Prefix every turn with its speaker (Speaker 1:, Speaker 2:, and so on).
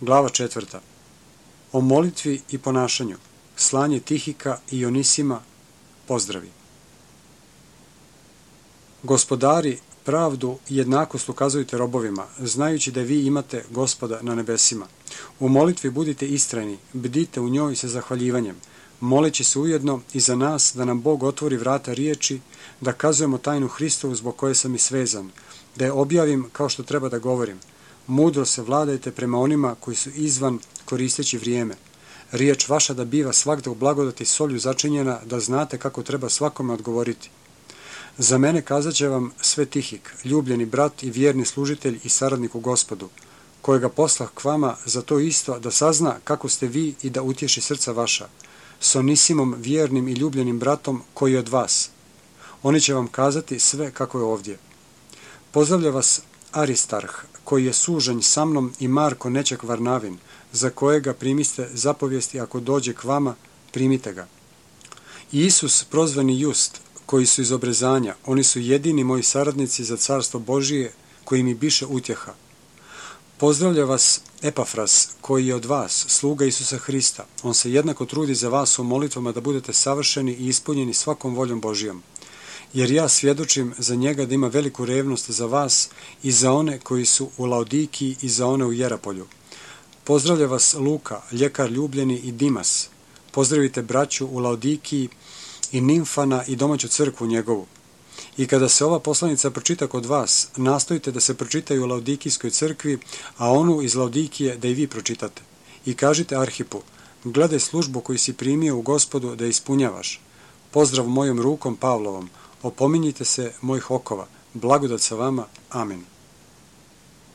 Speaker 1: Glava 4. O molitvi i ponašanju. Slanje Tihika i Onisima. Pozdravi. Gospodari, pravdu i jednakost ukazujte robovima, znajući da vi imate Gospoda na nebesima. U molitvi budite istrajni, bdite u njoj sa zahvaljivanjem, moleći se ujedno i za nas da nam Bog otvori vrata riječi, da kazujemo tajnu Hristovu zbog koje sam i svezan, da je objavim kao što treba da govorim. Mudro se vladajte prema onima koji su izvan koristeći vrijeme. Riječ vaša da biva svagda u blagodati solju začinjena, da znate kako treba svakome odgovoriti. Za mene kazat će vam sve Tihik, ljubljeni brat i vjerni služitelj i saradnik u Gospodu, kojega poslah k vama za to isto da sazna kako ste vi i da utješi srca vaša, s Onisimom vjernim i ljubljenim bratom koji je od vas. Oni će vam kazati sve kako je ovdje. Pozdravlja vas Aristarh, koji je sužanj sa mnom, i Marko Nečak Varnavin, za kojega primiste zapovijesti ako dođe k vama, primite ga. I Isus prozvani Just, koji su iz obrezanja, oni su jedini moji saradnici za carstvo Božije, koji mi biše utjeha. Pozdravlja vas Epafras, koji je od vas, sluga Isusa Hrista. On se jednako trudi za vas u molitvama da budete savršeni i ispunjeni svakom voljom Božijom. Jer ja svjedočim za njega da ima veliku revnost za vas i za one koji su u Laodikiji i za one u Jerapolju. Pozdravlja vas Luka, ljekar ljubljeni, i Dimas. Pozdravite braću u Laodikiji i Nimfana i domaću crkvu njegovu. I kada se ova poslanica pročita kod vas, nastojite da se pročitaju u Laodikijskoj crkvi, a onu iz Laodikije da i vi pročitate. I kažite Arhipu, gledaj službu koju si primio u Gospodu da ispunjavaš. Pozdrav mojom rukom Pavlovom, opominjite se mojih okova, blagodat sa vama, amen.